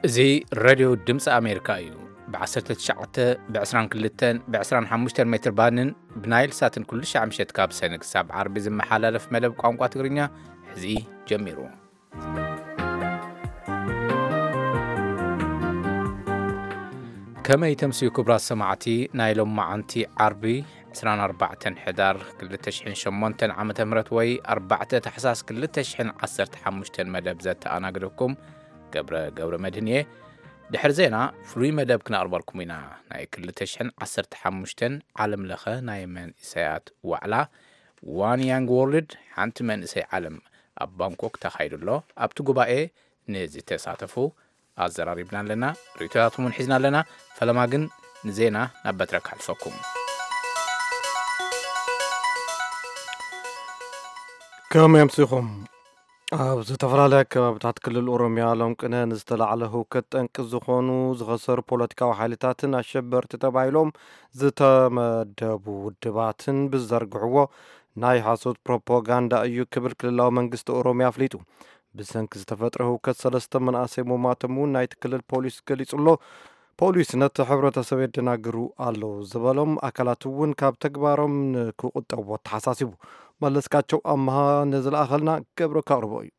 እዚ ሬድዮ ድምፂ ኣሜሪካ እዩ። ብ19፣ ብ22፣ ብ25 ሜትር ባንድን ብናይል ሳትን ኩሉ ሻዕ ምሸት ካብ ሰነ ክሳብ ዓርቢ ዝመሓላለፍ መደብ ቋንቋ ትግርኛ ሕዚ ጀሚሩ። ከመይ ተምስዩ ክቡራት ሰማዕቲ ናይ ሎማዓንቲ ዓርቢ 24 ሕዳር 2008 ዓመተ ምህረት ወይ 4 ታሕሳስ 2015 መደብ ዘተኣናግደኩም ገብረ ገብረ መድህን እየ። ድሕሪ ዜና ፍሉይ መደብ ክነቕርበልኩም ኢና። ናይ 2015 ዓለም ለኸ ናይ መንእሰያት ዋዕላ ዋን ያንግ ወርልድ ሓንቲ መንእሰይ ዓለም ኣብ ባንኮክ ተኻይዱ ኣሎ። ኣብቲ ጉባኤ ንዝተሳተፉ ኣዘራሪብና ኣለና፣ ርእይቶታቶም እውን ሒዝና ኣለና። ፈለማ ግን ንዜና ናብ በትረ ከሕልፈኩም። ከመይ ኣምሲኹም? ኣብ ዝተፈላለያ ከባብታት ክልል ኦሮምያ ሎም ቅነ ንዝተላዕለ ህውከት ጠንቂ ዝኾኑ ዝኸሰሩ ፖለቲካዊ ሓይልታትን ኣሸበርቲ ተባሂሎም ዝተመደቡ ውድባትን ብዘርግሕዎ ናይ ሓሶት ፕሮፓጋንዳ እዩ ክብል ክልላዊ መንግስቲ ኦሮምያ ኣፍሊጡ። ብሰንኪ ዝተፈጥረ ህውከት ሰለስተ መናእሰይ ምሟቶም እውን ናይቲ ክልል ፖሊስ ገሊጹ ኣሎ። ፖሊስ ነቲ ሕብረተሰብ የደናግሩ ኣለዉ ዝበሎም ኣካላት እውን ካብ ተግባሮም ንክቑጠቡ ኣተሓሳሲቡ። መለስካቸው ኣምሃ ንዝለኣኸልና ገብረ ከቕርቦ እዩ።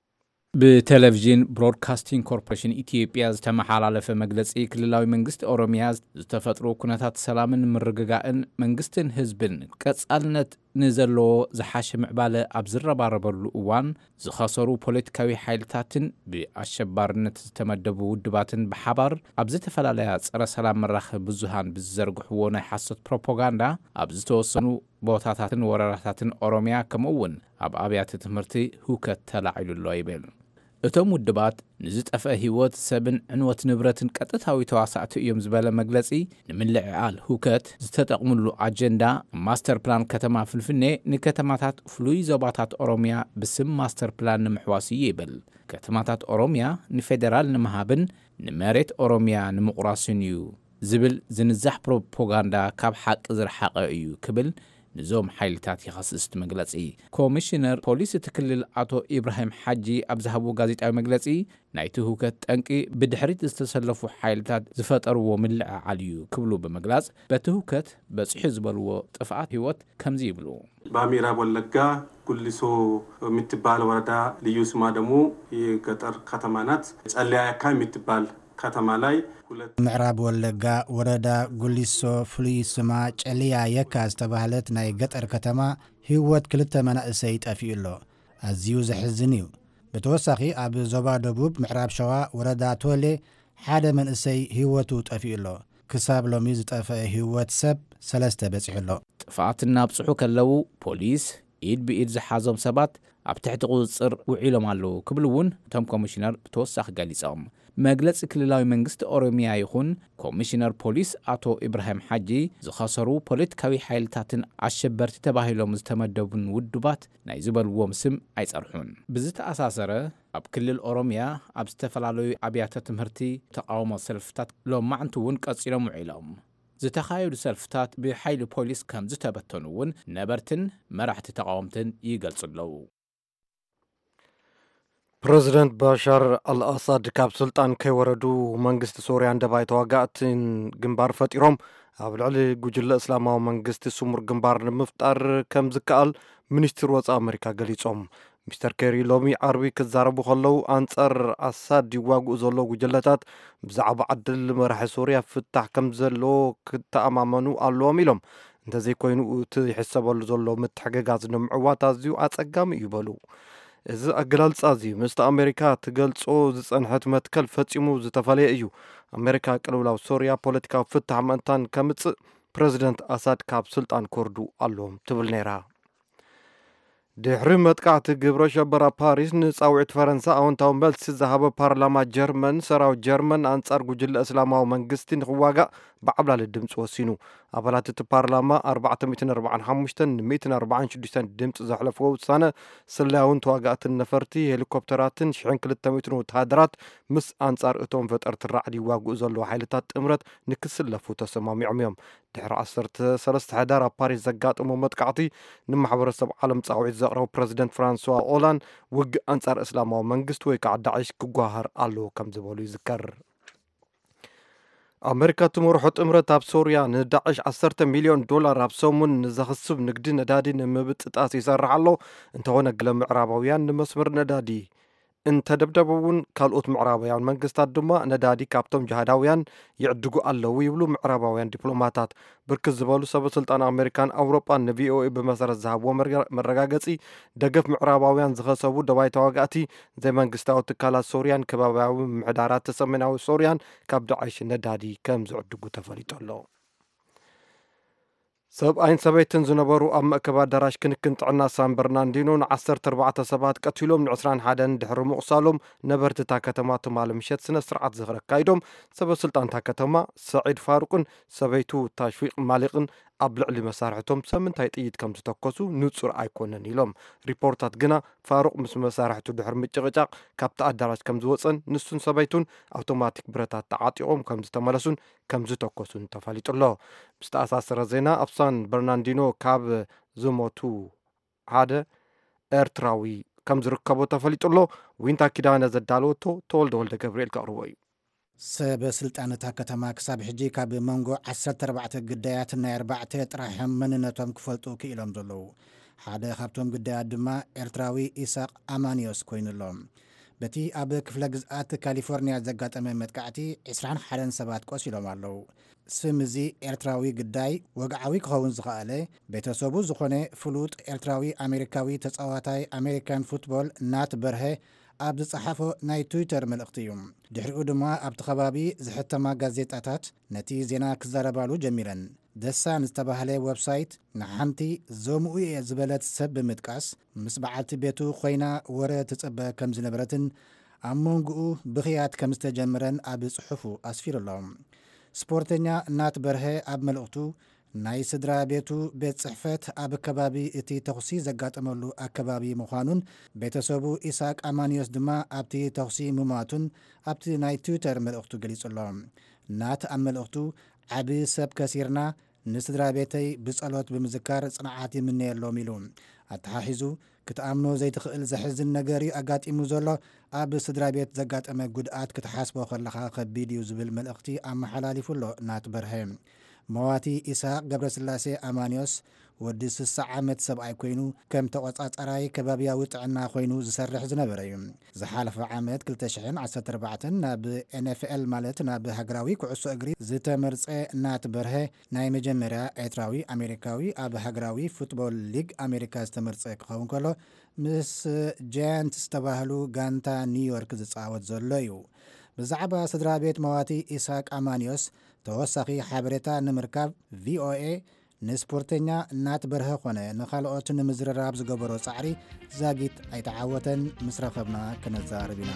ብቴሌቪዥን ብሮድካስቲንግ ኮርፖሬሽን ኢትዮጵያ ዝተመሓላለፈ መግለፂ፣ ክልላዊ መንግስቲ ኦሮሚያ ዝተፈጥሩ ኩነታት ሰላምን ምርግጋእን መንግስትን ህዝብን ቀፃልነት ንዘለዎ ዝሓሸ ምዕባለ ኣብ ዝረባረበሉ እዋን ዝኸሰሩ ፖለቲካዊ ሓይልታትን ብኣሸባርነት ዝተመደቡ ውድባትን ብሓባር ኣብ ዝተፈላለያ ፀረ ሰላም መራኸቢ ብዙሃን ብዝዘርግሕዎ ናይ ሓሶት ፕሮፓጋንዳ ኣብ ዝተወሰኑ ቦታታትን ወረዳታትን ኦሮሚያ ከምኡ እውን ኣብ ኣብያተ ትምህርቲ ህውከት ተላዒሉ ኣሎ ይብል። እቶም ውድባት ንዝጠፍአ ህይወት ሰብን ዕንወት ንብረትን ቀጥታዊ ተዋሳእቲ እዮም ዝበለ መግለፂ፣ ንምልዕዓል ህውከት ዝተጠቕምሉ ኣጀንዳ ማስተር ፕላን ከተማ ፍንፍኔ ንከተማታት ፍሉይ ዞባታት ኦሮሚያ ብስም ማስተር ፕላን ንምሕዋስ እዩ ይብል። ከተማታት ኦሮሚያ ንፌዴራል ንምሃብን ንመሬት ኦሮሚያ ንምቑራስን እዩ ዝብል ዝንዛሕ ፕሮፓጋንዳ ካብ ሓቂ ዝረሓቐ እዩ ክብል ንዞም ሓይልታት ይኸስስ እቲ መግለፂ። ኮሚሽነር ፖሊስ እቲ ክልል ኣቶ ኢብራሂም ሓጂ ኣብ ዝሃብዎ ጋዜጣዊ መግለፂ፣ ናይቲ ህውከት ጠንቂ ብድሕሪት ዝተሰለፉ ሓይልታት ዝፈጠርዎ ምልዕዓል እዩ ክብሉ ብምግላፅ፣ በቲ ህውከት በፂሑ ዝበልዎ ጥፍኣት ህይወት ከምዚ ይብሉ። በምዕራብ ወለጋ ጉሊሶ የምትባል ወረዳ፣ ልዩ ስማ ደግሞ የገጠር ከተማ ናት። ጨለያ የካ የምትባል ከተማ ላይ ሁለት ምዕራብ ወለጋ ወረዳ ጉሊሶ ፍሉይ ስማ ጨልያ የካ ዝተባህለት ናይ ገጠር ከተማ ህይወት ክልተ መናእሰይ ጠፊኡ ኣሎ። ኣዝዩ ዘሕዝን እዩ። ብተወሳኺ ኣብ ዞባ ደቡብ ምዕራብ ሸዋ ወረዳ ቶሌ ሓደ መንእሰይ ህይወቱ ጠፊኡ ኣሎ። ክሳብ ሎሚ ዝጠፍአ ህይወት ሰብ ሰለስተ በጺሑ ኣሎ። ጥፍኣት እናብጽሑ ከለዉ ፖሊስ ኢድ ብኢድ ዝሓዞም ሰባት ኣብ ትሕቲ ቁፅፅር ውዒሎም ኣለዉ ክብሉ እውን እቶም ኮሚሽነር ብተወሳኺ ገሊፆም። መግለፂ ክልላዊ መንግስቲ ኦሮሚያ ይኹን ኮሚሽነር ፖሊስ ኣቶ ኢብራሂም ሓጂ ዝኸሰሩ ፖለቲካዊ ሓይልታትን ኣሸበርቲ ተባሂሎም ዝተመደቡን ውድባት ናይ ዝበልዎም ስም ኣይፀርሑን። ብዝተኣሳሰረ ኣብ ክልል ኦሮሚያ ኣብ ዝተፈላለዩ ኣብያተ ትምህርቲ ተቃውሞ ሰልፍታት ሎማዕንቲ እውን ቀፂሎም ውዒሎም። ዝተኻየዱ ሰልፍታት ብሓይሊ ፖሊስ ከም ዝተበተኑ እውን ነበርትን መራሕቲ ተቃወምትን ይገልጹ ኣለዉ። ፕረዚደንት ባሻር ኣልኣሳድ ካብ ስልጣን ከይወረዱ መንግስቲ ሶርያን ደባይ ተዋጋእትን ግንባር ፈጢሮም ኣብ ልዕሊ ጉጅለ እስላማዊ መንግስቲ ስሙር ግንባር ንምፍጣር ከም ዝከኣል ሚኒስትር ወፃኢ ኣመሪካ ገሊጾም። ሚስተር ኬሪ ሎሚ ዓርቢ ክዛረቡ ከለዉ ኣንጻር ኣሳድ ይዋግኡ ዘለዉ ጉጅለታት ብዛዕባ ዕድል መራሒ ሶርያ ፍታሕ ከም ዘለዎ ክተኣማመኑ ኣለዎም ኢሎም። እንተዘይኮይኑ እቲ ይሕሰበሉ ዘሎ ምትሕግጋዝ ንምዕዋት ኣዝዩ ኣጸጋሚ እዩ በሉ። እዚ ኣገላልጻ እዚ ምስቲ ኣሜሪካ ትገልጾ ዝጸንሐት መትከል ፈጺሙ ዝተፈለየ እዩ። ኣሜሪካ ቅልውላው ሶርያ ፖለቲካዊ ፍታሕ ምእንታን ከምጽእ ፕረዚደንት ኣሳድ ካብ ስልጣን ክወርዱ ኣለዎም ትብል ነይራ። ድሕሪ መጥቃዕቲ ግብረ ሸበራ ፓሪስ ንጻውዒት ፈረንሳ ኣወንታዊ መልሲ ዝሃበ ፓርላማ ጀርመን፣ ሰራዊት ጀርመን ኣንጻር ጉጅለ እስላማዊ መንግስቲ ንኽዋጋእ ብዓብላሊ ድምፂ ወሲኑ። ኣባላት እቲ ፓርላማ ኣርባዕተ ሚእትን ኣርባዓን ሓሙሽተን ን ሚእትን ኣርባዓን ሽዱሽተን ድምፂ ዘሕለፍዎ ውሳነ፣ ስለያውን ተዋጋእትን ነፈርቲ ሄሊኮፕተራትን ሽሕን ክልተ ሚእትን ወተሃደራት ምስ ኣንጻር እቶም ፈጠርቲ ራዕዲ ይዋግኡ ዘለዉ ሓይልታት ጥምረት ንክስለፉ ተሰማሚዖም እዮም። ድሕሪ ዓሰርተ ሰለስተ ሕዳር ኣብ ፓሪስ ዘጋጠሞ መጥቃዕቲ ንማሕበረሰብ ዓለም ጻውዒት ዘቕረቡ ፕረዚደንት ፍራንስዋ ኦላንድ፣ ውግእ ኣንጻር እስላማዊ መንግስቲ ወይ ከዓ ዳዕሽ ክጓሃር ኣለዎ ከም ዝበሉ ይዝከር። ኣመሪካ ትመርሖ ጥምረት ኣብ ሶርያ ንዳዕሽ ዓሰርተ ሚልዮን ዶላር ኣብ ሰሙን ንዘኽስብ ንግዲ ነዳዲ ንምብጥጣስ ይሰርሕ ኣሎ። እንተኾነ፣ ገለ ምዕራባውያን ንመስመር ነዳዲ እንተደብደቡ እውን፣ ካልኦት ምዕራባውያን መንግስታት ድማ ነዳዲ ካብቶም ጅሃዳውያን ይዕድጉ ኣለዉ ይብሉ ምዕራባውያን ዲፕሎማታት። ብርክት ዝበሉ ሰበ ስልጣን ኣመሪካን ኣውሮጳን ንቪኦኤ ብመሰረት ዝሃብዎ መረጋ-፣ መረጋገጺ፣ ደገፍ ምዕራባውያን ዝኸሰቡ ደባይ ተዋጋእቲ፣ ዘይመንግስታዊ ትካላት ሶርያን ከባብያዊ ምምሕዳራት ሰሜናዊ ሶርያን ካብ ዳዕሽ ነዳዲ ከም ዝዕድጉ ተፈሊጡ ኣሎ። ሰብኣይን ሰበይትን ዝነበሩ ኣብ መእከቢ ኣዳራሽ ክንክን ጥዕና ሳን በርናንዲኖ ን ዓሰርተ ኣርባዕተ ሰባት ቀቲሎም፣ ን ዕስራን ሓደን ድሕሪ ምቑሳሎም፣ ነበርቲ እታ ከተማ ትማሊ ምሸት ስነ ስርዓት ዝኽሪ ኣካይዶም። ሰበ ስልጣን እታ ከተማ ሰዒድ ፋሩቅን ሰበይቱ ታሽዊቅ ማሊቅን ኣብ ልዕሊ መሳርሕቶም ሰብ ምንታይ ጥይት ከም ዝተኮሱ ንጹር ኣይኮነን ኢሎም። ሪፖርታት ግና፣ ፋሩቅ ምስ መሳርሕቱ ድሕሪ ምጭቕጫቕ ካብቲ ኣዳራሽ ከም ዝወጸን፣ ንሱን ሰበይቱን ኣውቶማቲክ ብረታት ተዓጢቖም ከም ዝተመለሱን ከም ዝተኮሱን ተፈሊጡ ኣሎ። ብዝተኣሳሰረ ዜና፣ ኣብ ሳን በርናንዲኖ ካብ ዝሞቱ ሓደ ኤርትራዊ ከም ዝርከቦ ተፈሊጡ ኣሎ። ዊንታ ኪዳነ ዘዳለወቶ፣ ተወልደ ወልደ ገብርኤል ከቕርቦ እዩ። ሰበ ስልጣን እታ ከተማ ክሳብ ሕጂ ካብ መንጎ ዓሰርተ ኣርባዕተ ግዳያት ናይ ኣርባዕተ ጥራሕም መንነቶም ክፈልጡ ክኢሎም ዘለዉ። ሓደ ካብቶም ግዳያት ድማ ኤርትራዊ ኢሳቕ ኣማንዮስ ኮይኑ ኣሎ። በቲ ኣብ ክፍለ ግዝኣት ካሊፎርኒያ ዘጋጠመ መጥቃዕቲ ዕስራን ሓደን ሰባት ቆሲሎም ኣለዉ። ስም እዚ ኤርትራዊ ግዳይ ወግዓዊ ክኸውን ዝኸኣለ፣ ቤተሰቡ ዝኾነ ፍሉጥ ኤርትራዊ ኣሜሪካዊ ተጻዋታይ ኣሜሪካን ፉትቦል ናት በርሀ ኣብ ዝጸሓፎ ናይ ትዊተር መልእኽቲ እዩ። ድሕሪኡ ድማ ኣብቲ ከባቢ ዝሕተማ ጋዜጣታት ነቲ ዜና ክዛረባሉ ጀሚረን። ደሳን ዝተባህለ ወብሳይት ንሓንቲ ዞምኡ እየ ዝበለት ሰብ ብምጥቃስ፣ ምስ በዓልቲ ቤቱ ኮይና ወረ ትጽበ ከም ዝነበረትን ኣብ መንጎኡ ብኽያት ከም ዝተጀመረን ኣብ ጽሑፉ ኣስፊሩ ኣሎ። ስፖርተኛ ናት በርሀ ኣብ መልእኽቱ፣ ናይ ስድራ ቤቱ ቤት ጽሕፈት ኣብ ከባቢ እቲ ተኹሲ ዘጋጠመሉ ኣከባቢ ምዃኑን፣ ቤተሰቡ ኢሳቅ ኣማንዮስ ድማ ኣብቲ ተኹሲ ምሟቱን ኣብቲ ናይ ትዊተር መልእኽቱ ገሊጹ ኣሎ። ናት ኣብ መልእኽቱ፣ "ዓቢ ሰብ ከሲርና፣ ንስድራ ቤተይ ብጸሎት ብምዝካር ጽንዓት ይምነየሎም" ኢሉ። ኣተሓሒዙ፣ "ክትኣምኖ ዘይትኽእል ዘሕዝን ነገር እዩ ኣጋጢሙ ዘሎ፣ ኣብ ስድራ ቤት ዘጋጠመ ጉድኣት ክትሓስቦ ከለኻ ከቢድ እዩ" ዝብል መልእኽቲ ኣመሓላሊፉ ኣሎ ናት በርሀ። መዋቲ ኢሳቅ ገብረስላሴ ኣማንዮስ ወዲ ስሳ ዓመት ሰብኣይ ኮይኑ፣ ከም ተቆጻጻራይ ከባብያዊ ጥዕና ኮይኑ ዝሰርሕ ዝነበረ እዩ። ዝሓለፈ ዓመት ክልተ ሽሕን ዓሰርተ ኣርባዕተን ናብ ኤን ኤፍ ኤል፣ ማለት ናብ ሃገራዊ ኩዕሶ እግሪ ዝተመርጸ ናት በርሀ፣ ናይ መጀመርያ ኤርትራዊ ኣሜሪካዊ ኣብ ሃገራዊ ፉትቦል ሊግ ኣሜሪካ ዝተመርጸ ክኸውን ከሎ፣ ምስ ጃያንትስ ዝተባህሉ ጋንታ ኒውዮርክ ዝጻወት ዘሎ እዩ። ብዛዕባ ስድራ ቤት መዋቲ ኢሳቅ ኣማንዮስ ተወሳኺ ሓበሬታ ንምርካብ፣ ቪኦኤ ንስፖርተኛ ናት በርሀ ኾነ ንኻልኦት ንምዝርራብ ዝገበሮ ጻዕሪ ዛጊት ኣይተዓወተን። ምስ ረኸብና ክነዛርብ ኢና።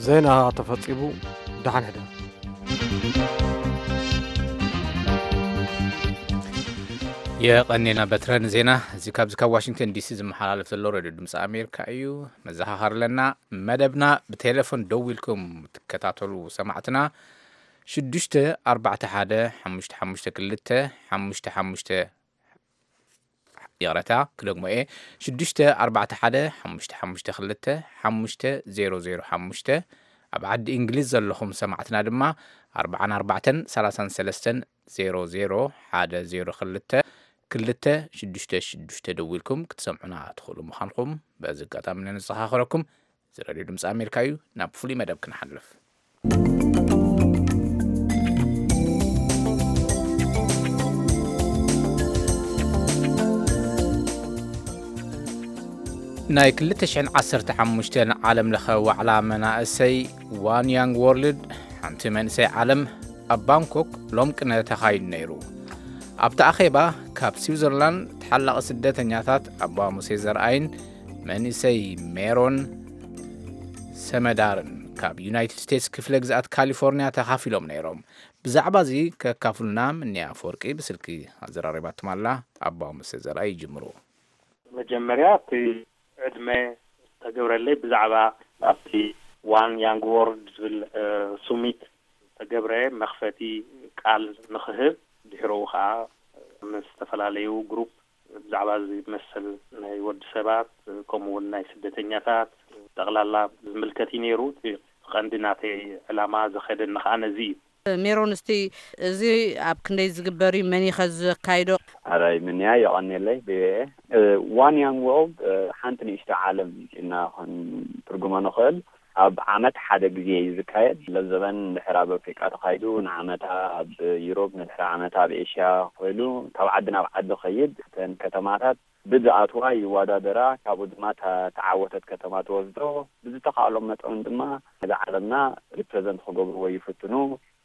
ዜና ተፈጺሙ። ደሓን ሕደር። የቐኔና በትረ ንዜና። እዚ ካብዚ ካብ ዋሽንግተን ዲሲ ዝመሓላለፍ ዘሎ ሬድዮ ድምፂ ኣሜሪካ እዩ። መዘኻኸሪ ኣለና። መደብና ብቴሌፎን ደዊልኩም ትከታተሉ ሰማዕትና፣ ሽዱሽተ ኣርባዕተ ሓደ ሓሙሽተ ሓሙሽተ ክልተ ሓሙሽተ ሓሙሽተ፣ ይቕረታ ክደግሞ እየ፣ ሽዱሽተ ኣርባዕተ ሓደ ሓሙሽተ ሓሙሽተ ክልተ ሓሙሽተ ዜሮ ዜሮ ሓሙሽተ፣ ኣብ ዓዲ እንግሊዝ ዘለኹም ሰማዕትና ድማ ኣርባዓን ኣርባዕተን ሰላሳን ሰለስተን ዜሮ ዜሮ ሓደ ዜሮ ክልተ ክልተ ሽዱሽተ ሽዱሽተ ደዊልኩም ክትሰምዑና ትኽእሉ ምዃንኩም በዚ ኣጋጣሚ ነዘኻኽረኩም። እዚ ሬድዮ ድምፂ ኣሜሪካ እዩ። ናብ ፍሉይ መደብ ክንሓልፍ። ናይ ክልተ ሽሕን ዓሰርተ ሓሙሽተን ዓለም ለኸ ዋዕላ መናእሰይ ዋን ያንግ ወርልድ፣ ሓንቲ መንእሰይ ዓለም፣ ኣብ ባንኮክ ሎም ቅነ ተኻይዱ ነይሩ። ኣብቲ ኣኼባ ካብ ስዊዘርላንድ ተሓላቒ ስደተኛታት ኣባ ሙሴ ዘርኣይን መንእሰይ ሜሮን ሰመዳርን ካብ ዩናይትድ ስቴትስ ክፍለ ግዝኣት ካሊፎርኒያ ተኻፊሎም ነይሮም። ብዛዕባ እዚ ከካፍሉና ምንያ ኣፈወርቂ ብስልኪ ኣዘራሪባትም ኣላ። ኣባ ሙሴ ዘርኣይ ይጅምሩ። መጀመርያ እቲ ዕድመ ተገብረለይ ብዛዕባ ኣብቲ ዋን ያንግ ወርልድ ዝብል፣ እ፣ ሱሚት ተገብረ መኽፈቲ ቃል ንኽህብ፣ ድሕረኡ ኸዓ ምስ ዝተፈላለዩ ግሩፕ ብዛዕባ እዚ መሰል ናይ ወዲ ሰባት፣ ከምኡ እውን ናይ ስደተኛታት ጠቕላላ ዝምልከት እዩ ነይሩ። እቲ ቀንዲ ናተይ ዕላማ ዘኸደኒ ኸዓ ነዚ እዩ። ሜሮን፣ እስቲ እዚ ኣብ ክንደይ ዝግበር እዩ? መን እዩ ከ ዘካይዶ? ኣራይ ምንያ የቐኔለይ ብኤ ዋን ያንግ ወርልድ ሓንቲ ንእሽቶ ዓለም ኢና ኾን ትርጉሞ ንኽእል። ኣብ ዓመት ሓደ ግዜ እዩ ዝካየድ። ለዘበን ድሕር ኣብ ኣፍሪቃ ተኻይዱ፣ ንዓመታ ኣብ ዩሮፕ፣ ንድሕሪ ዓመታ ኣብ ኤሽያ ኮይኑ ካብ ዓዲ ናብ ዓዲ ኸይድ። እተን ከተማታት ብዝኣትዋ ይወዳደራ፣ ካብኡ ድማ ተዓወተት ከተማ ትወስዶ። ብዝተኻእሎም መጠን ድማ ነዛ ዓለምና ሪፕሬዘንት ክገብርዎ ይፍትኑ።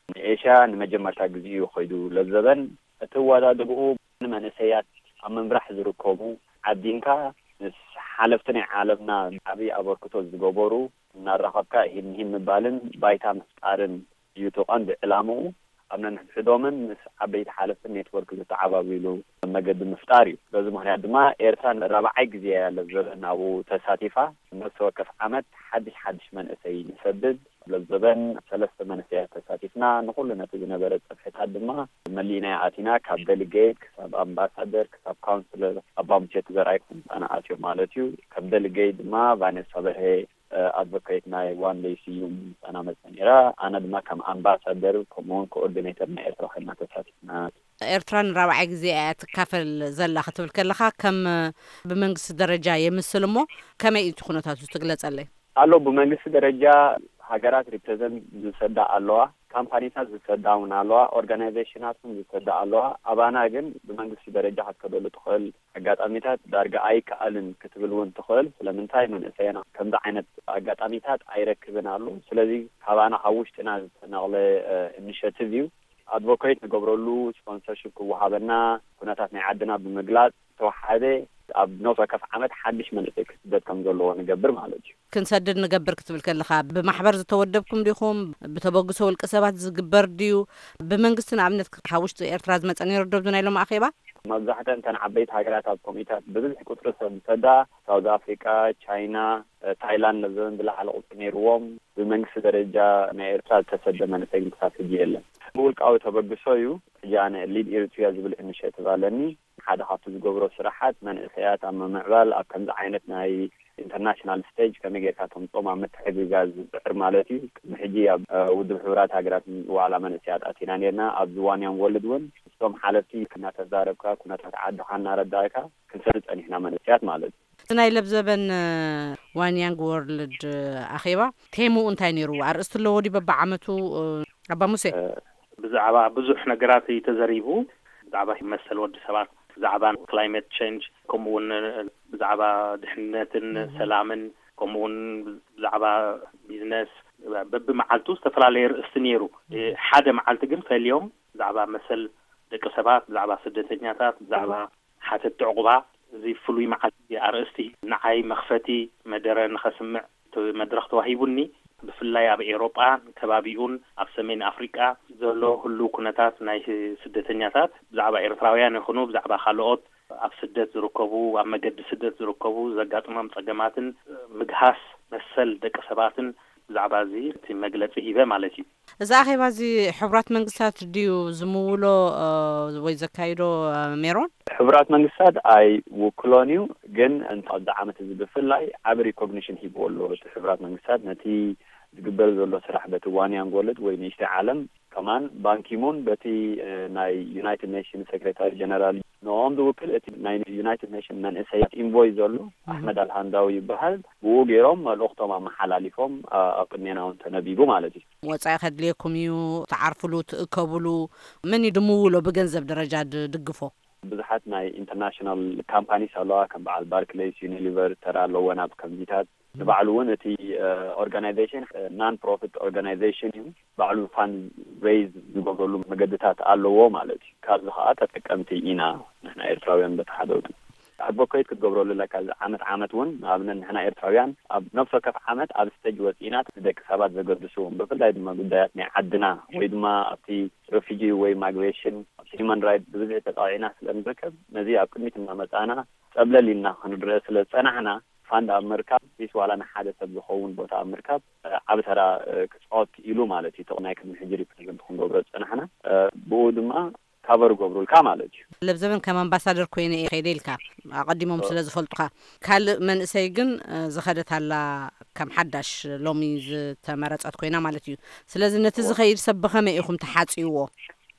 ንኤሽያ ንመጀመርታ ግዜ እዩ ኸይዱ። ለዘበን እቲ ኣወዳድብኡ ንመንእሰያት ኣብ ምምራሕ ዝርከቡ ዓዲንካ ምስ ሓለፍቲ ናይ ዓለምና ዓብዪ ኣበርክቶ ዝገበሩ እናራኸብካ ሂን ሂን ምባልን ባይታ ምፍጣርን እዩ እቲ ቀንዲ ዕላምኡ። ኣብ ነንሕድሕዶምን ምስ ዓበይቲ ሓለፍትን ኔትወርክ ዝተዓባብሉ መገዲ ምፍጣር እዩ። በዚ ምኽንያት ድማ ኤርትራ ንራብዓይ ግዜ እያ ለዘበን ኣብኡ ተሳቲፋ። ነፍሲ ወከፍ ዓመት ሓድሽ ሓድሽ መንእሰይ ንሰድድ። ለዘበን ሰለስተ መንእሰያት ተሳቲፍና። ንኹሉ ነቲ ዝነበረ ጽፍሕታት ድማ መሊእና ኣቲና። ካብ ደሊጌት ክሳብ ኣምባሳደር ክሳብ ካውንስለር ኣባሙሴ ተዘርኣይ ክሳብ ኣትዮም ማለት እዩ። ከም ደሊጌት ድማ ቫኔሳ በርሄ ኣድቮኬት ናይ ዋንደይ ስዩም ምሳና መጸ ነይራ። ኣነ ድማ ከም ኣምባሳደር ከምኡውን ኮኦርዲኔተር ናይ ኤርትራ ኮይና ተሳቲፍና። ኤርትራ ንራብዓይ ግዜ እያ ትካፈል ዘላ ክትብል ከለኻ፣ ከም ብመንግስቲ ደረጃ የምስል እሞ፣ ከመይ እዩ እቲ ኩነታቱ ትግለጸለይ? ኣሎ፣ ብመንግስቲ ደረጃ ሃገራት ሪፕሬዘንት ዝሰዳ ኣለዋ፣ ካምፓኒታት ዝሰዳ እውን ኣለዋ፣ ኦርጋናይዜሽናት እውን ዝሰዳ ኣለዋ። ኣባና ግን ብመንግስቲ ደረጃ ክትከደሉ ትኽእል ኣጋጣሚታት ዳርጋ ኣይከኣልን ክትብል እውን ትኽእል። ስለምንታይ መንእሰያና ከምዚ ዓይነት ኣጋጣሚታት ኣይረክብን ኣሎ። ስለዚ ካባና ካብ ውሽጥና ዝተነቕለ ኢኒሽቲቭ እዩ። ኣድቮኬት ንገብረሉ፣ ስፖንሰርሽፕ ክወሃበና፣ ኩነታት ናይ ዓድና ብምግላጽ ዝተወሓደ ኣብ ነፍሲ ወከፍ ዓመት ሓድሽ መንእሰይ ክስደድ ከም ዘለዎ ንገብር ማለት እዩ። ክንሰድድ ንገብር ክትብል ከለኻ ብማሕበር ዝተወደብኩም ዲኹም? ብተበግሶ ውልቀ ሰባት ዝግበር ድዩ? ብመንግስቲ ንኣብነት ካብ ውሽጢ ኤርትራ ዝመጸ ነይሩ ዶ ኣብዚ ናይ ሎም ኣኼባ? መብዛሕተን እተን ዓበይቲ ሃገራት ኣብ ኮሚታት ብብዝሒ ቁጽሪ ሰብ ዝሰዳ ሳውዝ ኣፍሪቃ፣ ቻይና፣ ታይላንድ ነዘን ዝለዓለ ቁጽሪ ነይርዎም። ብመንግስቲ ደረጃ ናይ ኤርትራ ዝተሰደ መንእሰይ ግን ክሳብ ሕጂ የለን። ብውልቃዊ ተበግሶ እዩ። ሕጂ ኣነ ሊድ ኤሪትሪያ ዝብል ኢኒሽቲቭ ኣለኒ። ሓደ ካብቲ ዝገብሮ ስራሓት መንእሰያት ኣብ ምምዕባል ኣብ ከምዚ ዓይነት ናይ ኢንተርናሽናል ስቴጅ ከመይ ጌርካ ተምጾም ኣብ ምትሕግጋዝ ዝጽዕር ማለት እዩ። ቅድሚ ሕጂ ኣብ ውድብ ሕቡራት ሃገራት ዋዕላ መንእሰያት ኣቲና ኔርና። ኣብዚ ዋን ያንግ ወርልድ እውን ምስቶም ሓለፍቲ እናተዛረብካ ኩነታት ዓድኻ እናረዳእካ ክንሰሪ ጸኒሕና መንእሰያት ማለት እዩ። እቲ ናይ ለብዘበን ዋን ያንግ ወርልድ ኣኼባ ቴምኡ እንታይ ነይሩ? ኣርእስቲ ኣለዎ ድዩ በብዓመቱ? ኣባ ሙሴ። ብዛዕባ ብዙሕ ነገራት እዩ ተዘሪቡ። ብዛዕባ መሰል ወዲ ሰባት፣ ብዛዕባ ክላይመት ቸንጅ፣ ከምኡ እውን ብዛዕባ ድሕነትን ሰላምን፣ ከምኡ እውን ብዛዕባ ቢዝነስ፣ በብመዓልቱ ዝተፈላለየ ርእስቲ ነይሩ። ሓደ መዓልቲ ግን ፈልዮም ብዛዕባ መሰል ደቂ ሰባት፣ ብዛዕባ ስደተኛታት፣ ብዛዕባ ሓተቲ ዕቑባ፣ እዚ ፍሉይ መዓልቲ ኣርእስቲ ንዓይ መኽፈቲ መደረ ንኸስምዕ እቲ መድረኽ ተዋሂቡኒ። ብፍላይ ኣብ ኤውሮጳን ከባቢኡን ኣብ ሰሜን ኣፍሪቃ ዘሎ ህሉው ኩነታት ናይ ስደተኛታት ብዛዕባ ኤርትራውያን ይኹኑ ብዛዕባ ካልኦት ኣብ ስደት ዝርከቡ፣ ኣብ መገዲ ስደት ዝርከቡ ዘጋጥሞም ጸገማትን ምግሃስ መሰል ደቂ ሰባትን ብዛዕባ እዚ እቲ መግለጺ ሂበ ማለት እዩ። እዚ ኣኼባ እዚ ሕቡራት መንግስታት ድዩ ዝምውሎ ወይ ዘካይዶ ሜሮን? ሕቡራት መንግስታት ኣይውክሎን እዩ፣ ግን ኣብዚ ዓመት እዚ ብፍላይ ዓቢ ሪኮግኒሽን ሂብዎ ኣሎ። እቲ ሕቡራት መንግስታት ነቲ ዝግበር ዘሎ ስራሕ በቲ ዋን ያንግ ወርልድ ወይ ንእሽተይ ዓለም ከማን ባንኪሙን በቲ ናይ ዩናይትድ ኔሽን ሴክሬታሪ ጀነራል ንኦም ዝውክል እቲ ናይ ዩናይትድ ኔሽን መንእሰያት ኢንቮይ ዘሎ ኣሕመድ ኣልሃንዳዊ ይበሃል። ብኡ ገይሮም መልእኽቶም ኣመሓላሊፎም ኣብ ቅድሜና እውን ተነቢቡ ማለት እዩ። ወጻኢ ከድልየኩም እዩ፣ ትዓርፍሉ፣ ትእከብሉ። መን እዩ ድምውሎ ብገንዘብ ደረጃ ድድግፎ? ብዙሓት ናይ ኢንተርናሽናል ካምፓኒስ ኣለዋ፣ ከም በዓል ባርክሌይስ፣ ዩኒሊቨር ተራ ኣለወን ኣብ ከምዚታት። ንባዕሉ እውን እቲ ኦርጋናይዜሽን ናን ፕሮፊት ኦርጋናይዜሽን እዩ። ባዕሉ ፋንድ ሬይዝ ዝገብረሉ መገድታት ኣለዎ ማለት እዩ። ካብዚ ከዓ ተጠቀምቲ ኢና ንሕና ኤርትራውያን በቲ ሓደ ወገን። ኣድቮኬት ክትገብረሉ ኣለካ። እዚ ዓመት ዓመት እውን ንኣብነት ንሕና ኤርትራውያን ኣብ ነፍሲ ወከፍ ዓመት ኣብ ስቴጅ ወፂእና ንደቂ ሰባት ዘገድሱ ብፍላይ ድማ ጉዳያት ናይ ዓድና ወይ ድማ ኣብቲ ሬፊጂ ወይ ማይግሬሽን ኣብቲ ሂማን ራይት ብብዝሒ ተጣቂዕና ስለ ንርከብ ነዚ ኣብ ቅድሚት እናመፃና ፀብለል ኢልና ክንረአ ስለ ዝፀናሕና ፋንድ ኣብ ምርካብ ቢስ ዋላ ንሓደ ሰብ ዝኸውን ቦታ ኣብ ምርካብ ዓቢ ተራ ክፃወት ክኢሉ ማለት እዩ። ናይ ቅድሚ ሕጂ ሪፕሬዘንት ክንገብሮ ዝፀናሕና ብኡ ድማ ካቨር ገብሩልካ ማለት እዩ። ለብዘበን ከም ኣምባሳደር ኮይነ እየ ከይደ ኢልካ፣ ኣቐዲሞም ኦ። ስለ ዝፈልጡኻ። ካልእ መንእሰይ ግን እ፣ ዝኸደት ኣላ፣ ከም ሓዳሽ ሎሚ ዝተመረጸት ኮይና ማለት እዩ። ስለዚ ነቲ ኦ። ዝኸይድ ሰብ ብኸመይ ኢኹም ተሓጽይዎ?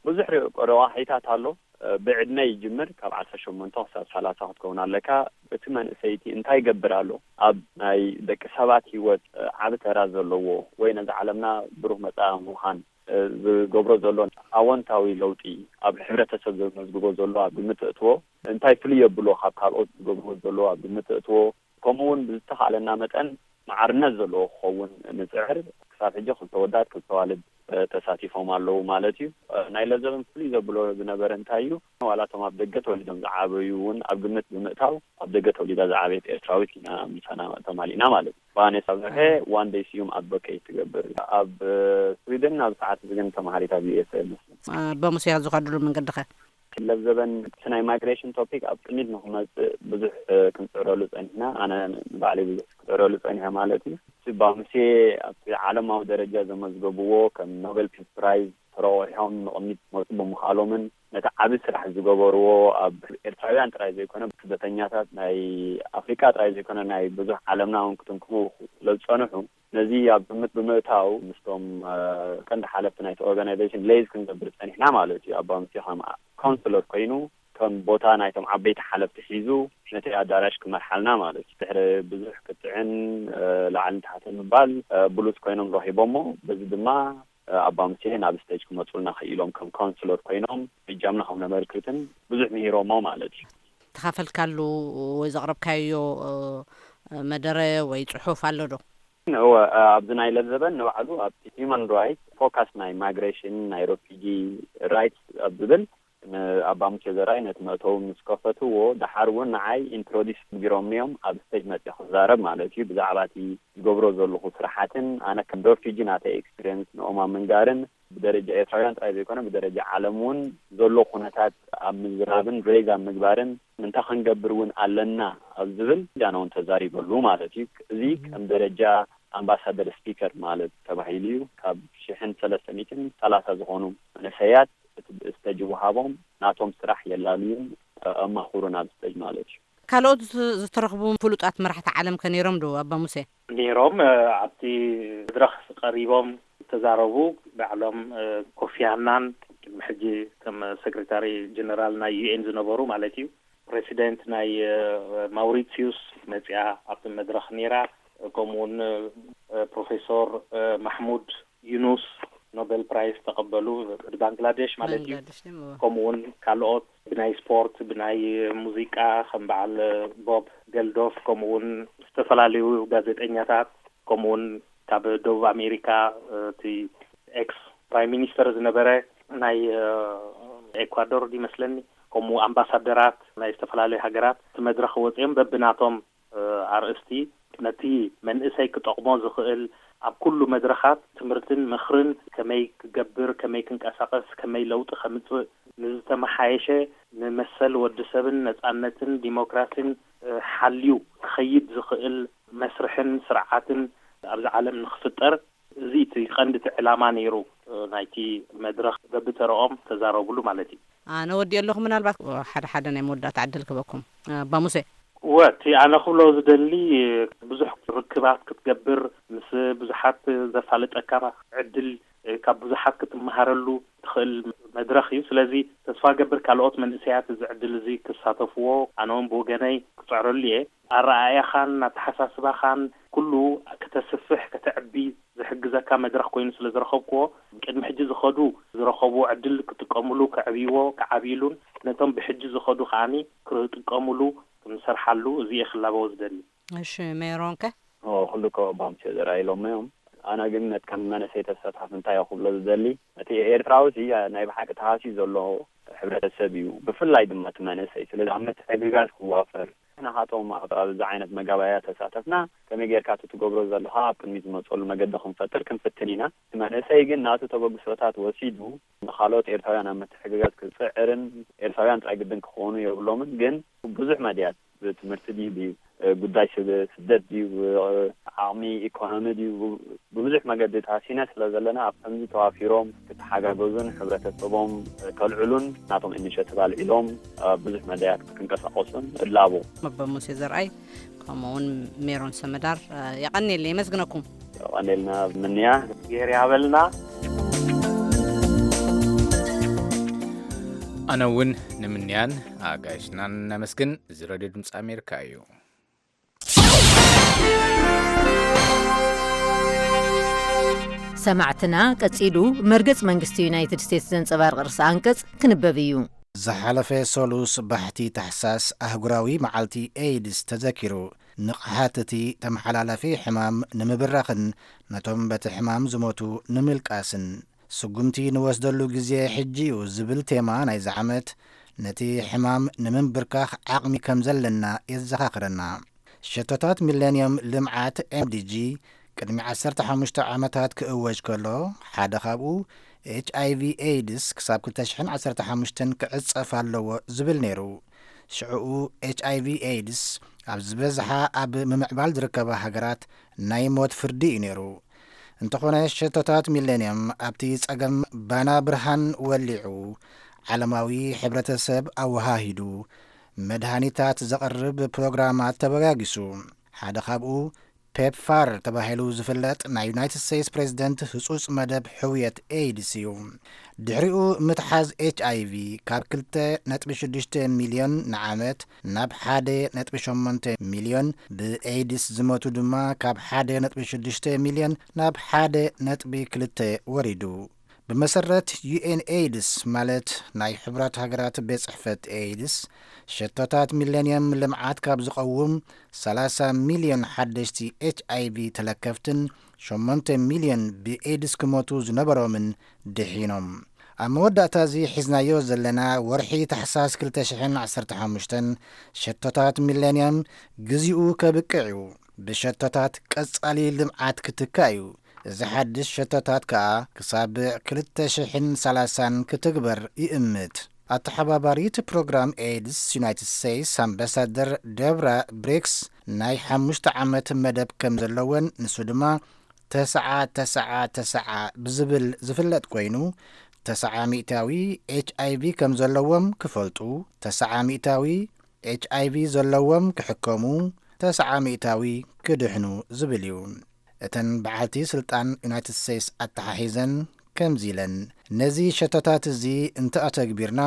ብዙሕ ሪ- ረዋሒታት ኣሎ። እ፣ ብዕድመ ይጅምር፣ ካብ ዓሰርተ ሸሞንተ ክሳብ ሰላሳ ክትከውን ኣለካ። እቲ መንእሰይቲ እንታይ ይገብር ኣሎ? ኣብ ናይ ደቂ ሰባት ህይወት እ፣ ዓቢ ተራ ዘለዎ ወይ ነዚ ዓለምና ብሩህ መጻኢ ምዃን እ፣ ዝገብሮ ዘሎ ኣወንታዊ ለውጢ፣ ኣብ ሕብረተሰብ ዘመዝግቦ ዘሎ ኣብ ግምት እትዎ፣ እንታይ ፍልይ የብሎ ካብ ካልኦት ዝገብርዎ ዘሎ ኣብ ግምት እትዎ፣ ከምኡ እውን ብዝተኻእለና መጠን ማዕርነት ዘለዎ ክኸውን ንጽዕር። ክሳብ ሕጂ ክልተ ወዳት ክልተ ዋልድ እ፣ ተሳቲፎም ኣለዉ ማለት እዩ። እ፣ ናይ ለዘበን ፍልይ ዘብሎ ዝነበረ እንታይ እዩ? ዋላ እቶም ኣብ ደገ ተወሊዶም ዝዓበዩ እውን ኣብ ግምት ብምእታው ኣብ ደገ ተወሊዳ ዝዓበየት ኤርትራዊት ኢና ምሳና ተማሊእና ማለት እዩ። ቫኔሳ በርሀ ዋን ደይ ስዩም ኣድቮኬት ትገብር ኣብ እ፣ ስዊድን፣ ኣብ ሰዓት እዚ ግን ተማሃሪት ኣብ ዩ ኤስ ኤ መስለኒ። ኣባ ሙሴ ዝኸድሉ መንገዲ ኸ? ለብዘበን እቲ ናይ ማይግሬሽን ቶፒክ ኣብ ቅድሚት ንክመፅእ ብዙሕ እ፣ ክንፅዕረሉ ፀኒሕና። ኣነ ንባዕለይ ብዙሕ ክፅዕረሉ ፀኒሐ ማለት እዩ። እቲ ኣባ ሙሴ ኣብቲ ዓለማዊ ደረጃ ዘመዝገብዎ ከም ኖቤል ፒስ ፕራይዝ ተረቑሖም ንቕድሚት ክመፁ ብምኽኣሎምን ነቲ ዓቢ ስራሕ ዝገበርዎ ኣብ ኤርትራውያን ጥራይ ዘይኮነ ስደተኛታት ናይ ኣፍሪቃ ጥራይ ዘይኮነ ናይ ብዙሕ ዓለምና እውን ክትንክፉ ስለ ዝፀንሑ ነዚ ኣብ ግምት ብምእታው ምስቶም እ፣ ቀንዲ ሓለፍቲ ናይቲ ኦርጋናይዜሽን ለይዝ ክንገብር ፀኒሕና ማለት እዩ። ኣባ ሙሴ ከም ካውንስለር ኮይኑ ከም ቦታ ናይቶም ዓበይቲ ሓለፍቲ ሒዙ ነቲ ኣዳራሽ ክመርሓልና ማለት እዩ። ድሕሪ ብዙሕ ክትዕን እ፣ ላዕልን ታሕትን ምባል እ፣ ብሉጽ ኮይኖም ረኺቦሞ። በዚ ድማ እ፣ ኣባ ሙሴ ናብ ስቴጅ ክመጹልና ክኢሎም ከም ካውንስለር ኮይኖም እጃምና ከም ነበርክትን ብዙሕ ምሂሮሞ ማለት እዩ። ተኻፈልካሉ ወይ ዘቕረብካዮ እ፣ መደረ ወይ ጽሑፍ ኣሎ ዶ? እወ፣ እ፣ ኣብዚ ናይ ለዘበን ንባዕሉ ኣብቲ ሂውማን ራይትስ ፎካስ ናይ ማይግሬሽን ናይ ሮፊጂ ራይትስ ኣብ ዝብል ንኣባ ሙሴ ዘርኣይ ነቲ መእተዊ ምስ ከፈትዎ፣ ደሓር እውን ንዓይ ኢንትሮዲስ ገይሮምኒ እዮም ኣብ ስቴጅ መፅየ ክዛረብ ማለት እዩ። ብዛዕባ እቲ ዝገብሮ ዘለኹ ስራሓትን ኣነ ከም ዶርፊጂ ናተይ ኤክስፒሪየንስ ንኦም ኣብ ምንጋርን ብደረጃ ኤርትራውያን ጥራይ ዘይኮነ ብደረጃ ዓለም እውን ዘሎ ኩነታት ኣብ ምዝራብን ሬይዝ ኣብ ምግባርን እንታይ ክንገብር እውን ኣለና ኣብ ዝብል ጃና እውን ተዛሪበሉ ማለት እዩ። እዚ ከም ደረጃ ኣምባሳደር ስፒከር ማለት ተባሂሉ እዩ። ካብ ሽሕን ሰለስተ ሚእትን ሰላሳ ዝኾኑ መንእሰያት እቲ ብእስተ ጅውሃቦም ናቶም ስራሕ የላልዩን ኣማኹሩን ኣብ ስተጅ ማለት እዩ። ካልኦት ዝተረኽቡ ፍሉጣት መራሕቲ ዓለም ከ ነይሮም ዶ ኣባ ሙሴ? ነይሮም። ኣብቲ መድረኽ ቀሪቦም ዝተዛረቡ ባዕሎም ኮፊ ኣናን ቅድሚ ሕጂ ከም ሴክሬታሪ ጀነራል ናይ ዩኤን ዝነበሩ ማለት እዩ፣ ፕሬሲደንት ናይ ማውሪሲዩስ መፅያ ኣብቲ መድረኽ ነይራ። ከምኡውን ፕሮፌሶር ማሕሙድ ዩኑስ ኖቤል ፕራይስ ተቐበሉ፣ ባንግላዴሽ ማለት እዩ። ከምኡውን ካልኦት ብናይ ስፖርት፣ ብናይ ሙዚቃ ከም በዓል ቦብ ገልዶፍ፣ ከምኡውን ዝተፈላለዩ ጋዜጠኛታት፣ ከምኡውን ካብ ደቡብ ኣሜሪካ እቲ ኤክስ ፕራይም ሚኒስተር ዝነበረ ናይ ኤኳዶር ይመስለኒ፣ ከምኡ ኣምባሳደራት ናይ ዝተፈላለዩ ሃገራት እቲ መድረኽ ወፂኦም በብናቶም ኣርእስቲ ነቲ መንእሰይ ክጠቕሞ ዝኽእል ኣብ ኩሉ መድረኻት ትምህርትን ምኽርን ከመይ ክገብር፣ ከመይ ክንቀሳቐስ፣ ከመይ ለውጢ ከምፅእ ንዝተመሓየሸ ንመሰል ወዲ ሰብን ነፃነትን ዲሞክራሲን ሓልዩ ክኸይድ ዝኽእል መስርሕን ስርዓትን ኣብዚ ዓለም ንክፍጠር እዚ እቲ ቀንዲ እቲ ዕላማ ነይሩ ናይቲ መድረኽ በብተረኦም ተዛረብሉ ማለት እዩ። ኣነ ወዲኦ ኣለኹ። ምናልባት ሓደ ሓደ ናይ መወዳእታ ዕድል ክበኩም ኣባ ሙሴ። እወ እቲ ኣነ ክብሎ ዝደሊ ብዙሕ ርክባት ክትገብር ምስ ብዙሓት ዘፋልጠካ ዕድል ካብ ብዙሓት ክትመሃረሉ ትኽእል መድረኽ እዩ። ስለዚ ተስፋ ገብር ካልኦት መንእሰያት እዚ ዕድል እዚ ክሳተፍዎ ኣነ እውን ብወገነይ ክፅዕረሉ እየ። ኣረኣእያኻን ኣተሓሳስባኻን ኩሉ ከተስፍሕ ከተዕቢ ዝሕግዘካ መድረኽ ኮይኑ ስለ ዝረኸብክዎ ቅድሚ ሕጂ ዝኸዱ ዝረኸብዎ ዕድል ክጥቀምሉ ከዕብይዎ ከዓብይሉን ነቶም ብሕጂ ዝኸዱ ከዓኒ ክጥቀምሉ ክንሰርሓሉ እዚ እየ ክላበዎ ዝደሊ። እሺ ሜሮንከ? ኩሉ እኮ ባምስዮ ዘርኣይሎሞ እዮም። ኣነ ግን ነቲ ከም መነሰይ ተሳታፊ እንታይ እየ ክብሎ ዝደሊ፣ እቲ ኤርትራዊ ሲ ናይ ብሓቂ ተሃስዩ ዘሎ ሕብረተሰብ እዩ፣ ብፍላይ ድማ እቲ መንእሰይ። ስለዚ ኣብ ምትሕግጋዝ ክዋፈር፣ ንሕና ካቶም ኣብ ኣብዚ ዓይነት መጋባእያ ተሳተፍና ከመይ ጌርካ እቲ ትገብሮ ዘለኻ ኣብ ቅድሚት ዝመፀሉ መገዲ ክንፈጥር ክንፍትን ኢና። እቲ መንእሰይ ግን ናቱ ተበግሶታት ወሲዱ ንኻልኦት ኤርትራውያን ኣብ ምትሕግጋዝ ክፅዕርን ኤርትራውያን ጥራይ ግድን ክኾኑ የብሎምን፣ ግን ብዙሕ መድያት ብትምህርቲ ድዩ ጉዳይ ስደት ድዩ፣ ዓቕሚ ኢኮኖሚ ድዩ፣ ብብዙሕ መገዲ ተሃሲና ስለ ዘለና ኣብ ከምዚ ተዋፊሮም ክተሓጋገዙን ሕብረተሰቦም ከልዕሉን ናቶም ኢኒሸቲቭ ኣልዒሎም ብዙሕ መዳያት ክንቀሳቀሱን እላቦ። መበ ሙሴ ዘርኣይ ከምኡ እውን ሜሮን ሰመዳር የቐኔል የመስግነኩም። ቀኔልና ምንያ። ገይር ያበልና። ኣነ እውን ንምንያን ኣጋይሽናን ነመስግን። እዚ ሬድዮ ድምፂ ኣሜሪካ እዩ። ሰማዕትና፣ ቀጺሉ መርገጽ መንግስቲ ዩናይትድ ስቴትስ ዘንጸባርቕ ርእሰ ኣንቀጽ ክንበብ እዩ። ዝሓለፈ ሰሉስ ባሕቲ ታሕሳስ ኣህጉራዊ መዓልቲ ኤይድስ ተዘኪሩ። ንቕሓት እቲ ተመሓላላፊ ሕማም ንምብራኽን ነቶም በቲ ሕማም ዝሞቱ ንምልቃስን ስጉምቲ ንወስደሉ ግዜ ሕጂ እዩ ዝብል ቴማ ናይዚ ዓመት፣ ነቲ ሕማም ንምንብርካኽ ዓቕሚ ከም ዘለና የዘኻኽረና። ሸቶታት ሚሌንየም ልምዓት ኤምዲጂ ቅድሚ ዓሰርተ ሓሙሽተ ዓመታት ክእወጅ ከሎ፣ ሓደ ካብኡ ኤች ኣይ ቪ ኤይድስ ክሳብ ክልተ ሽሕን ዓሰርተ ሓሙሽተን ክዕጸፍ ኣለዎ ዝብል ነይሩ። ሽዕኡ ኤች ኣይ ቪ ኤይድስ ኣብ ዝበዝሓ ኣብ ምምዕባል ዝርከባ ሃገራት ናይ ሞት ፍርዲ እዩ ነይሩ። እንተኾነ ሸቶታት ሚሌንየም ኣብቲ ጸገም ባና ብርሃን ወሊዑ፣ ዓለማዊ ሕብረተሰብ ኣወሃሂዱ፣ መድሃኒታት ዘቕርብ ፕሮግራማት ተበጋጊሱ። ሓደ ካብኡ ፔፕፋር ተባሂሉ ዝፍለጥ ናይ ዩናይትድ ስቴትስ ፕሬዝደንት ህጹጽ መደብ ሕውየት ኤይድስ እዩ። ድሕሪኡ ምትሓዝ ኤች ኣይ ቪ ካብ ክልተ ነጥቢ ሽዱሽተ ሚልዮን ንዓመት ናብ ሓደ ነጥቢ ሸሞንተ ሚልዮን፣ ብኤይድስ ዝሞቱ ድማ ካብ ሓደ ነጥቢ ሽዱሽተ ሚልዮን ናብ ሓደ ነጥቢ ክልተ ወሪዱ። ብመሰረት ዩ ኤን ኤይድስ፣ ማለት ናይ ሕቡራት ሃገራት ቤት ጽሕፈት ኤይድስ፣ ሸቶታት ሚሌንየም ልምዓት ካብ ዝቐውም ሰላሳ ሚልዮን ሓደሽቲ ኤች ኣይ ቪ ተለከፍትን ሸሞንተ ሚልዮን ብኤይድስ ክሞቱ ዝነበሮምን ድሒኖም። ኣብ መወዳእታ እዚ ሒዝናዮ ዘለና ወርሒ ታሕሳስ ክልተ ሽሕን ዓሰርተ ሓሙሽተን፣ ሸቶታት ሚሌንየም ግዜኡ ከብቅዕ እዩ። ብሸቶታት ቀጻሊ ልምዓት ክትካእ እዩ። እዚ ሓድሽ ሸቶታት ከኣ ክሳብ ክልተ ሽሕን ሰላሳን ክትግበር ይእምት። ኣተሓባባሪት ፕሮግራም ኤድስ ዩናይትድ ስቴትስ ኣምባሳደር ደብራ ብሪክስ ናይ ሓሙሽተ ዓመት መደብ ከም ዘለወን፣ ንሱ ድማ ተስዓ ተስዓ ተስዓ ብዝብል ዝፍለጥ ኮይኑ፣ ተስዓ ሚእታዊ ኤች ኣይ ቪ ከም ዘለዎም ክፈልጡ፣ ተስዓ ሚእታዊ ኤች ኣይ ቪ ዘለዎም ክሕከሙ፣ ተስዓ ሚእታዊ ክድሕኑ ዝብል እዩ። እተን በዓልቲ ስልጣን ዩናይትድ ስቴትስ ኣተሓሒዘን ከምዚ ኢለን፣ ነዚ ሸቶታት እዚ እንተኣተግቢርና፣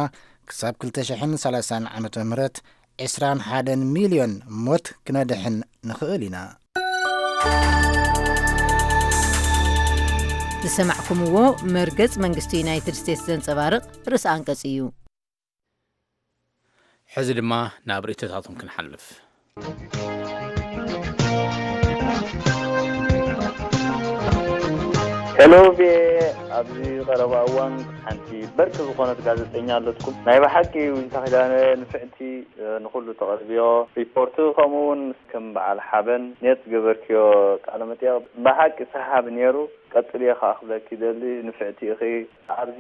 ክሳብ ክልተ ሽሕን ሰላሳን ዓመተ ምህረት ዕስራን ሓደን ሚልዮን ሞት ክነድሕን ንኽእል ኢና። ዝሰማዕኩምዎ መርገጽ መንግስቲ ዩናይትድ ስቴትስ ዘንጸባርቕ ርእሰ ኣንቀጽ እዩ። ሕዚ ድማ ናብ ርእይቶታቶም ክንሓልፍ። ሄሎ ቪኦኤ፣ ኣብዚ ቀረባ እዋን ሓንቲ በርቂ ዝኾነት ጋዜጠኛ ኣለትኩም። ናይ ብሓቂ ዊንታ ኪዳነ ንፍዕቲ፣ እ፣ ንኹሉ ተቐርብዮ ሪፖርት፣ ከምኡ እውን ከም በዓል ሓበን ኔት ዝገበርክዮ ቃለ መጠይቕ ብሓቂ ሰሓቢ ነይሩ። ቀጽልዮ ከኣ ክብለኪ ይደሊ፣ ንፍዕቲ ኢኺ። ኣብዚ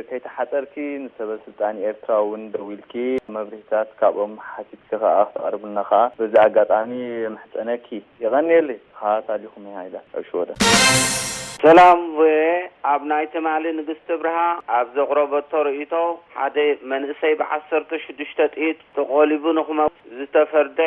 ከይተሓጸርኪ ንሰበ ስልጣን ኤርትራ እውን ደዊልኪ መብርሂታት ካብኦም ሓቲትኪ ከኣ ክተቕርብልና ከኣ በዚ ኣጋጣሚ የምሕጸነኪ። የቐንየለይ። ተኸታታሊኹም እየ ሃይለ ኣብ ሽወደን። ሰላም ቪኦኤ፣ ኣብ ናይ ትማሊ ንግስቲ ብርሃ ኣብ ዘቕረበቶ ርእይቶ፣ ሓደ መንእሰይ ብዓሰርተ ሽዱሽተ ጥይት ተቖሊቡ ንኽመውት ዝተፈርደ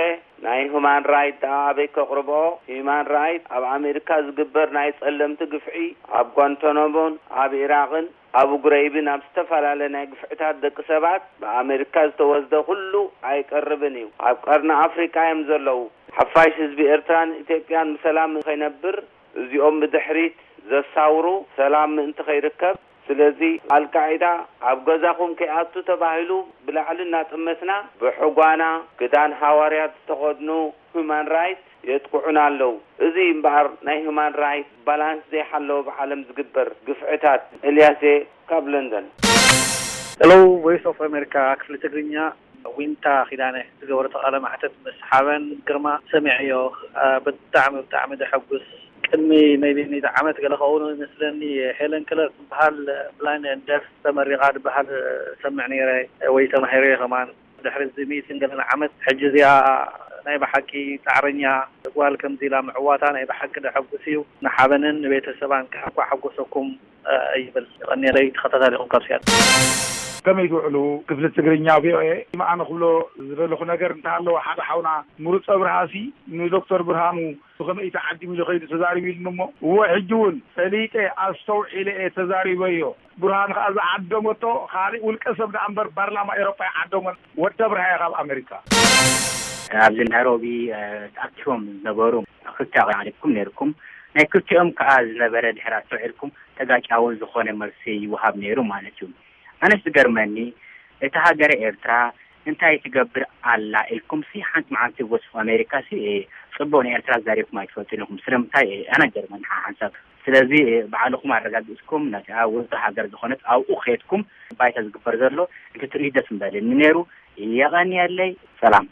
ናይ ሁማን ራይት ደኣ ኣበይ ከቕርብኦ? ሂዩማን ራይት ኣብ ኣሜሪካ ዝግበር ናይ ጸለምቲ ግፍዒ ኣብ ጓንታናሞን ኣብ ኢራቕን ኣብ ግሬይብን ኣብ ዝተፈላለየ ናይ ግፍዕታት ደቂ ሰባት ብኣሜሪካ ዝተወስደ ኩሉ ኣይቀርብን እዩ። ኣብ ቀርኒ ኣፍሪቃ እዮም ዘለዉ። ሓፋሽ ህዝቢ ኤርትራን ኢትዮጵያን ብሰላም ከይነብር እዚኦም ብድሕሪት ዘሳውሩ ሰላም ምእንቲ ከይርከብ። ስለዚ ኣልቃዒዳ ኣብ ገዛኹም ከይኣቱ ተባሂሉ ብላዕሊ እናጠመስና ብሕጓና ክዳን ሃዋርያት ዝተኸድኑ ሁማን ራይት የጥቅዑና ኣለዉ። እዚ እምበኣር ናይ ሁማን ራይት ባላንስ ዘይሓለወ ብዓለም ዝግበር ግፍዕታት። ኤልያስ እየ ካብ ለንደን። ሄሎ ቮይስ ኦፍ ኣሜሪካ ክፍሊ ትግርኛ። ዊንታ ኪዳነ ዝገበረቶ ቃለ መሕተት ምስ ሓበን ግርማ ሰሚዐዮ። አ፣ ብጣዕሚ፣ ብጣዕሚ ዘሐጉስ። ቅድሚ ሜይቢ ሚእቲ ዓመት ገለ ክኸውን ይመስለኒ፣ ሄለን ክለር ትበሃል ብላይንድ ኤንድ ደፍ ተመሪቓ ዝበሃል ሰምዕ ነይረ ወይ ተማሂረ ከማን። ድሕሪ እዚ ሚእትን ገለን ዓመት ሕጂ እዚኣ ናይ ብሓቂ ጻዕረኛ ጓል ከምዚ ኢላ ምዕዋታ ናይ ብሓቂ ደሐጉስ እዩ። ንሓበንን ንቤተሰባን ከሕኳ ሓጎሰኩም ይብል። ቀኔለይ ተኸታታሊኹም ካብ ሲያትል። ከመይ ትውዕሉ ክፍሊ ትግርኛ ቪኦኤ? ኣነ ክብሎ ዝደለኹ ነገር እንተሃለወ ሓደ ሓውና ምሩፀ ብርሃሲ ንዶክተር ብርሃኑ ብኸመይ ተዓዲሙ ኢሉ ከይዱ ተዛሪቡ ኢሉኒ እሞ እወ ሕጂ እውን ፈሊጠ ኣስተውዒለ እየ ተዛሪበዮ። ብርሃን ከዓ ዝዓደመቶ ካልእ ውልቀ ሰብ ደኣ እምበር ፓርላማ ኤሮጳ ይዓደሞን ወዲ ኣብርሃ እየ ካብ ኣሜሪካ። ኣብዚ ናይሮቢ ተኣኪቦም ዝነበሩ ክልተ ኣቕሪብኩም ነይርኩም ናይ ክልቲኦም ከዓ ዝነበረ ድሕር ኣስተውዒልኩም ተጋጫዊ ዝኾነ መልሲ ይወሃብ ነይሩ ማለት እዩ። ኣነስ ዝገርመኒ እታ ሃገረ ኤርትራ እንታይ ትገብር ኣላ ኢልኩም ሲ ሓንቲ መዓልቲ ቮይስ ኦፍ ኣሜሪካ ሲ ጽቡቅ ንኤርትራ ዛሪብኩም ኣይትፈልጡ ኢኹም ስለምንታይ ኣነ ገርመኒ ሓንሳብ ስለዚ ባዕልኹም ኣረጋግጽኩም ነታ ውልቂ ሃገር ዝኾነት ኣብኡ ከድኩም ባይታ ዝግበር ዘሎ እንተ ትርኢ ደስ ምበለኒ ነይሩ። የቐንየለይ። ሰላም።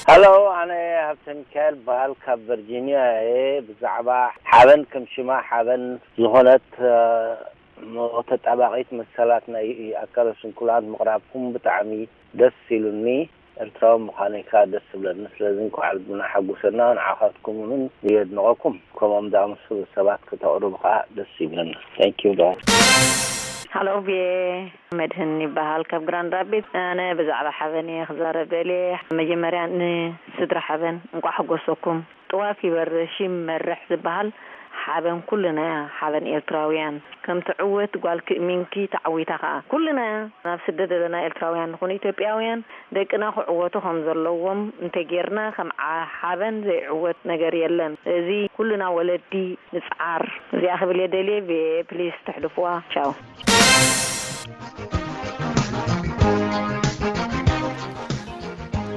ሀሎ፣ ኣነ ሀብተ ሚካኤል በሃል ካብ ቨርጂኒያ እየ። ብዛዕባ ሓበን ከም ሽማ ሓበን ዝኾነት ተጣባቂት መሰላት ናይ ኣካለ ስንኩላን ምቕራብኩም ብጣዕሚ ደስ ኢሉኒ። ኤርትራዊ ምዃነይ ከኣ ደስ ዝብለኒ። ስለዚ እንኳዕ ልብና ሓጎሰና፣ ንዓኻትኩም እውን የድንቐኩም። ከምኦም ዝኣመሰሉ ሰባት ከተቕርቡ ከኣ ደስ ይብለና። Thank you guys። ሃሎ ቪኦኤ፣ መድህን ይበሃል ካብ ግራንድ ራፒድስ። ኣነ ብዛዕባ ሓበን እየ ክዛረብ ደልየ። መጀመርያ ንስድራ ሓበን እንቋዕ ሓጎሰኩም። ጥዋፍ ይበርህ ሽም ይመርሕ ዝበሃል ሓበን ኩልናያ ሓበን ኤርትራውያን ከም ትዕወት ጓል ክእሚንኪ ተዓዊታ ከኣ ኩልናያ ናብ ስደት ዘለና ኤርትራውያን ንኹን ኢትዮጵያውያን ደቅና ክዕወቱ ከም ዘለዎም እንተጌርና ከም ሓበን ዘይዕወት ነገር የለን እዚ ኩልና ወለዲ ንጽዓር እዚኣ ክብል እየ ደልየ ቪኦኤ ፕሊስ ተሕልፍዋ ቻው።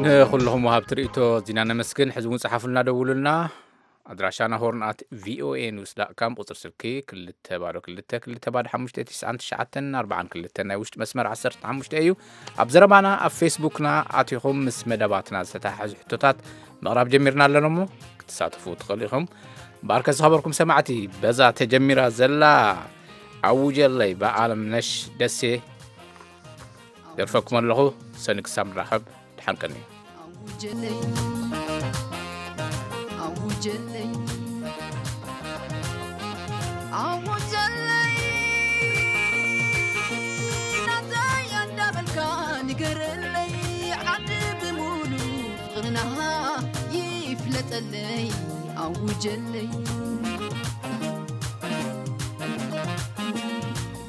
ንኹልኹም ወሃብቲ ርእቶ ኣዚና ነመስግን። ሕዚ እውን ጸሓፉልና ደውሉልና። ኣድራሻና ሆርን ኣት ቪኦኤ ኒውስ ዳት ካም፣ ቁጽሪ ስልኪ ክልተ ባዶ ክልተ ክልተ ባዶ ሓሙሽተ ትሽዓን ትሽዓተን ኣርባዓን ክልተን ናይ ውሽጢ መስመር ዓሰርተ ሓሙሽተ እዩ። ኣብ ዘረባና ኣብ ፌስቡክና ኣቲኹም ምስ መደባትና ዝተተሓሓዙ ሕቶታት ምቕራብ ጀሚርና ኣለና እሞ ክትሳተፉ ትኽእሉ ኢኹም። እምበኣርከ ዝኸበርኩም ሰማዕቲ በዛ ተጀሚራ ዘላ ኣውጀለይ ብኣለምነሽ ደሴ ደርፈኩም ኣለኹ። ሰኒ ክሳብ ንራኸብ ደሓን ቀንዩ። ኣውጀለይ ኣውጀለይ ኣውጀለይ ናተይ እንዳበልካ ንገረለይ ዓዲ ብሙሉ ፍቕርና ይፍለጠለይ ኣውጀለይ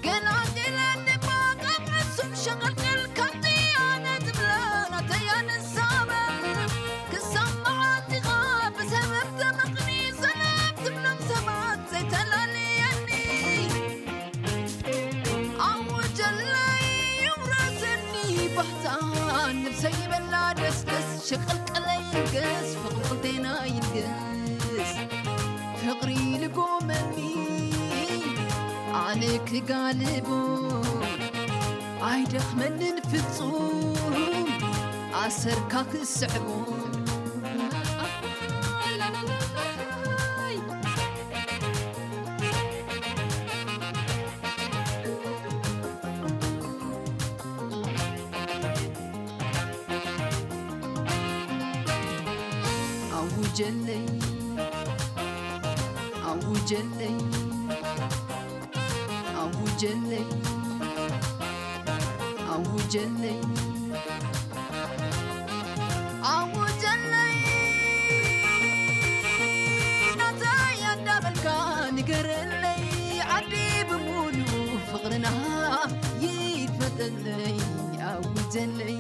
ገላገለኒ እባ ካብ ሕሱም ሸቐልቀል ከምቲ ኣነ ዝብላ ናተይ ኣነ ክሳብ መዓልቲ ኢኻ ብሰበብ ተመቕኒ ሰላም ትብሎም ሰባት ዘይተላለየኒ ኣወጀለይ ይውረሰኒ ባህታ ነብሰይ ይበላ ደስደስ ሸቐልቀለይ ይንገስ ፍቕሪ ክልቴና ይንገስ ፍቕሪ ልጎመኒ ኣነ ክጋልቦ ኣይደኽመንን ፍጹም ኣሰርካ ክስዕቦ ኣውጀለይ ኣውጀለይ ኣውጀለይ ኣውጀለይ ኣውጀለይ ናተይ እንዳበልካ ንገረለይ ዓዲ ብሙሉ ፍቕርና ይፈጠለይ ኣውጀለይ